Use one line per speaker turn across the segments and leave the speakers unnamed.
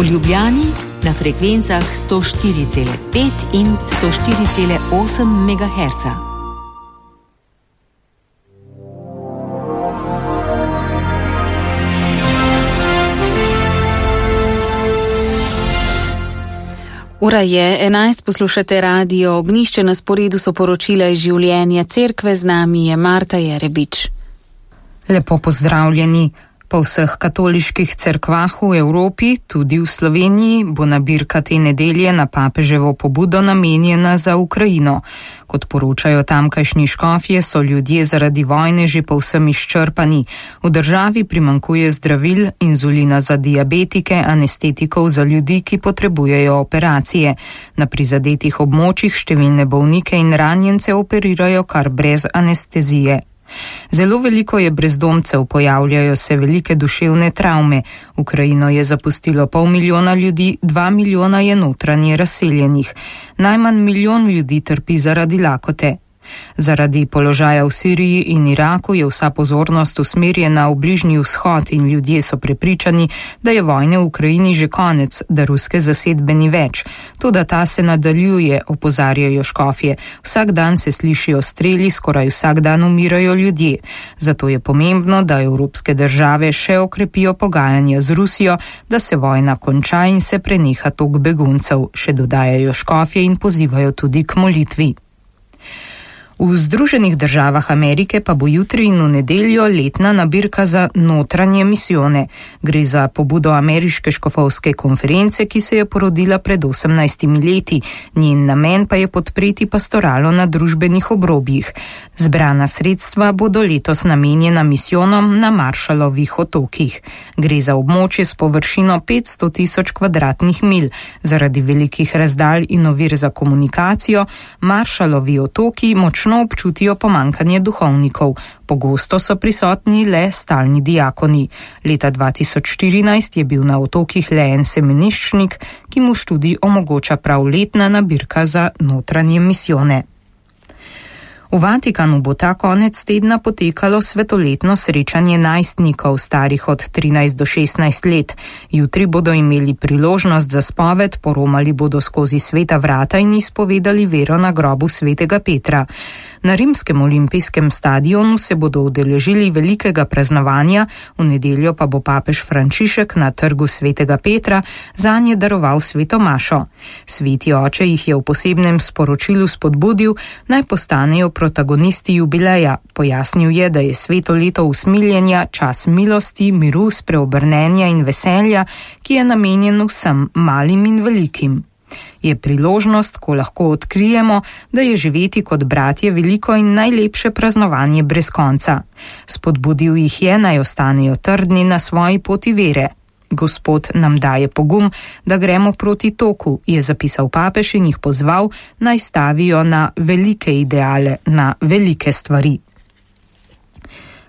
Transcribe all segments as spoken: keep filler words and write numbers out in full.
V Ljubljani na frekvencah sto štiri cela pet in sto štiri cela osem megaherca.
Ura je enajst, poslušate Radio Ognjišče, na sporedu so poročila iz življenja cerkve, z nami je Marta Jerebič.
Lepo pozdravljeni. Po vseh katoliških cerkvah v Evropi, tudi v Sloveniji, bo nabirka te nedelje na papeževo pobudo namenjena za Ukrajino. Kot poročajo tamkajšnji škofje, so ljudje zaradi vojne že povsem izčrpani. V državi primanjkuje zdravil, inzulina za diabetike, anestetikov za ljudi, ki potrebujejo operacije. Na prizadetih območjih številne bolnike in ranjence operirajo kar brez anestezije. Zelo veliko je brezdomcev, pojavljajo se velike duševne travme. Ukrajino je zapustilo pol milijona ljudi, dva milijona je notranje razseljenih. Najmanj milijon ljudi trpi zaradi lakote. Zaradi položaja v Siriji in Iraku je vsa pozornost usmerjena v Bližnji vzhod in ljudje so prepričani, da je vojne v Ukrajini že konec, da ruske zasedbe ni več. Toda ta se nadaljuje, opozarjajo škofje. Vsak dan se slišijo streli, skoraj vsak dan umirajo ljudje. Zato je pomembno, da evropske države še okrepijo pogajanja z Rusijo, da se vojna konča in se preneha tok beguncev, še dodajajo škofje in pozivajo tudi k molitvi. V Združenih državah Amerike pa bo jutri in v nedeljo letna nabirka za notranje misijone. Gre za pobudo ameriške škofovske konference, ki se je porodila pred osemnajstimi leti. Njen namen pa je podpreti pastoralo na družbenih obrobjih. Zbrana sredstva bodo letos namenjena misijonom na Marshallovih otokih. Gre za območje s površino petsto tisoč kvadratnih milj. Zaradi velikih razdalj in ovir za komunikacijo Marshallovi otoki močno občutijo pomankanje duhovnikov. Pogosto so prisotni le stalni diakoni. Leta dva tisoč štirinajst je bil na otokih le en semeniščnik, ki mu študij omogoča prav letna nabirka za notranje misijone. V Vatikanu bo ta konec tedna potekalo svetoletno srečanje najstnikov starih od trinajst do šestnajst let. Jutri bodo imeli priložnost za spoved, poromali bodo skozi sveta vrata in izpovedali vero na grobu svetega Petra. Na rimskem olimpijskem stadionu se bodo udeležili velikega praznovanja, v nedeljo pa bo papež Frančišek na trgu svetega Petra zanje daroval sveto mašo. Sveti oče jih je v posebnem sporočilu spodbudil, naj postanejo protagonisti jubileja. Pojasnil je, da je sveto leto usmiljenja čas milosti, miru, spreobrnenja in veselja, ki je namenjen vsem malim in velikim. Je priložnost, ko lahko odkrijemo, da je živeti kot bratje veliko in najlepše praznovanje brez konca. Spodbudil jih je, naj ostanejo trdni na svoji poti vere. Gospod nam daje pogum, da gremo proti toku, je zapisal papež in jih pozval, naj stavijo na velike ideale, na velike stvari.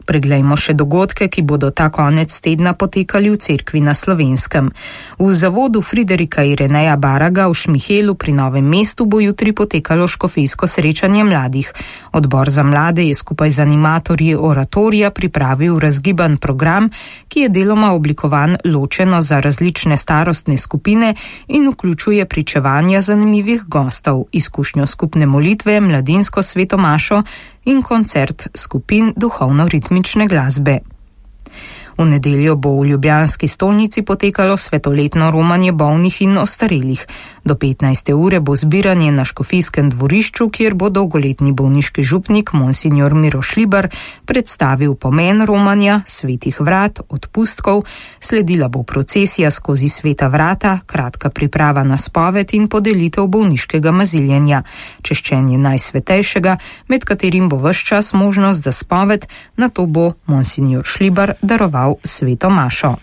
Preglejmo še dogodke, ki bodo ta konec tedna potekali v cerkvi na Slovenskem. V zavodu Friderika Ireneja Baraga v Šmihelu pri Novem mestu bo jutri potekalo škofijsko srečanje mladih. Odbor za mlade je skupaj z animatorji oratorija pripravil razgiban program, ki je deloma oblikovan ločeno za različne starostne skupine in vključuje pričevanja zanimivih gostov, izkušnjo skupne molitve, mladinsko svetomašo in koncert skupin duhovno-ritmične glasbe. V nedeljo bo v ljubljanski stolnici potekalo svetoletno romanje bolnih in ostarelih. Do petnajste ure bo zbiranje na škofijskem dvorišču, kjer bo dolgoletni bolniški župnik monsinjor Miro Šlibar predstavil pomen romanja, svetih vrat, odpustkov, sledila bo procesija skozi sveta vrata, kratka priprava na spoved in podelitev bolniškega maziljenja, češčenje najsvetejšega, med katerim bo ves čas možnost za spoved, nato bo monsinjor Šlibar daroval sveto mašo.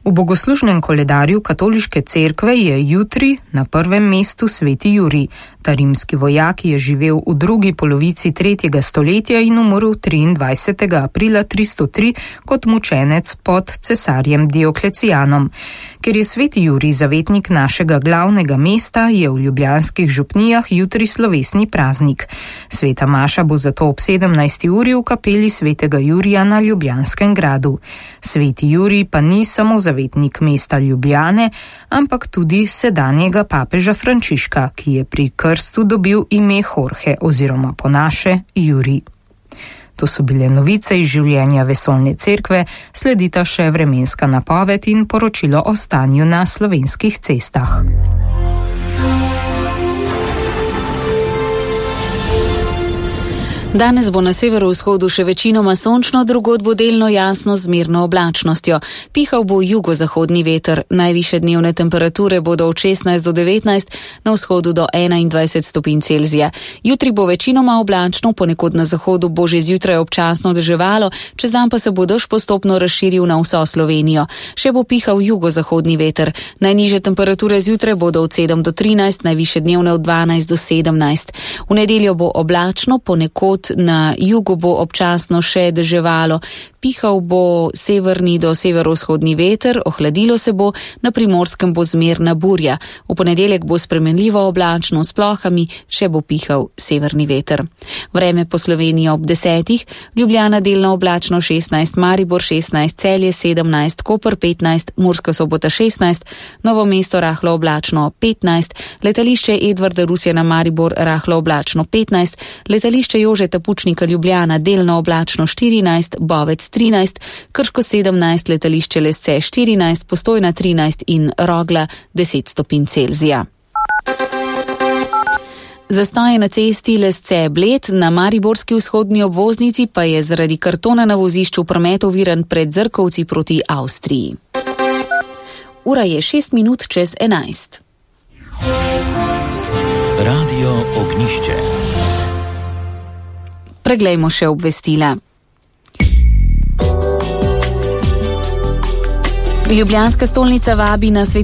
V bogoslužnem koledarju katoliške cerkve je jutri na prvem mestu sveti Jurij. Ta rimski vojak je živel v drugi polovici tretjega stoletja in umrl triindvajsetega aprila tristo tri kot mučenec pod cesarjem Dioklecijanom. Ker je sveti Jurij zavetnik našega glavnega mesta, je v ljubljanskih župnijah jutri slovesni praznik. Sveta maša bo zato ob sedemnajsti uri v kapeli svetega Jurija na Ljubljanskem gradu. Sveti Jurij pa ni samo zavetnik zavetnik mesta Ljubljane, ampak tudi sedanjega papeža Frančiška, ki je pri krstu dobil ime Jorge oziroma po naše Jurij. To so bile novice iz življenja vesoljne cerkve, sledita še vremenska napoved in poročilo o stanju na slovenskih cestah.
Danes bo na severovzhodu še večinoma sončno, drugod bo delno jasno z mirno oblačnostjo. Pihal bo jugozahodni veter, najvišje dnevne temperature bodo od šestnajst do devetnajst, na vzhodu do enaindvajset stopinj Celzija. Jutri bo večinoma oblačno, ponekod na zahodu bo že zjutraj občasno deževalo, čez dan pa se bo dež postopno razširil na vso Slovenijo. Še bo pihal jugozahodni veter. Najnižje temperature zjutraj bodo od sedem do trinajst, najvišje dnevne od dvanajst do sedemnajst. V nedeljo bo oblačno, ponekod na jugu bo občasno še deževalo. Pihal bo severni do severovzhodni veter, ohladilo se bo, na Primorskem bo zmerna burja. V ponedeljek bo spremenljivo oblačno s plohami, še bo pihal severni veter. Vreme po Sloveniji ob desetih, Ljubljana delno oblačno šestnajst, Maribor šestnajst, Celje sedemnajst, Koper petnajst, Murska Sobota šestnajst, Novo mesto rahlo oblačno petnajst, letališče Edvarda Rusjana Maribor rahlo oblačno petnajst, letališče Jožeta Pučnika Ljubljana delno oblačno štirinajst, Bovec trinajst, Krško sedemnajst, letališče Lesce štirinajst, Postojna trinajst in Rogla deset stopinj Celzija. Zastoje na cesti Lesce Bled, na mariborski vzhodni obvoznici pa je zaradi kartona na vozišču promet oviran pred Zrkovci proti Avstriji. Ura je šest minut čez enajst.
Radio Ognišče.
Preglejmo še obvestila. Ljubljanska stolnica vabi na svet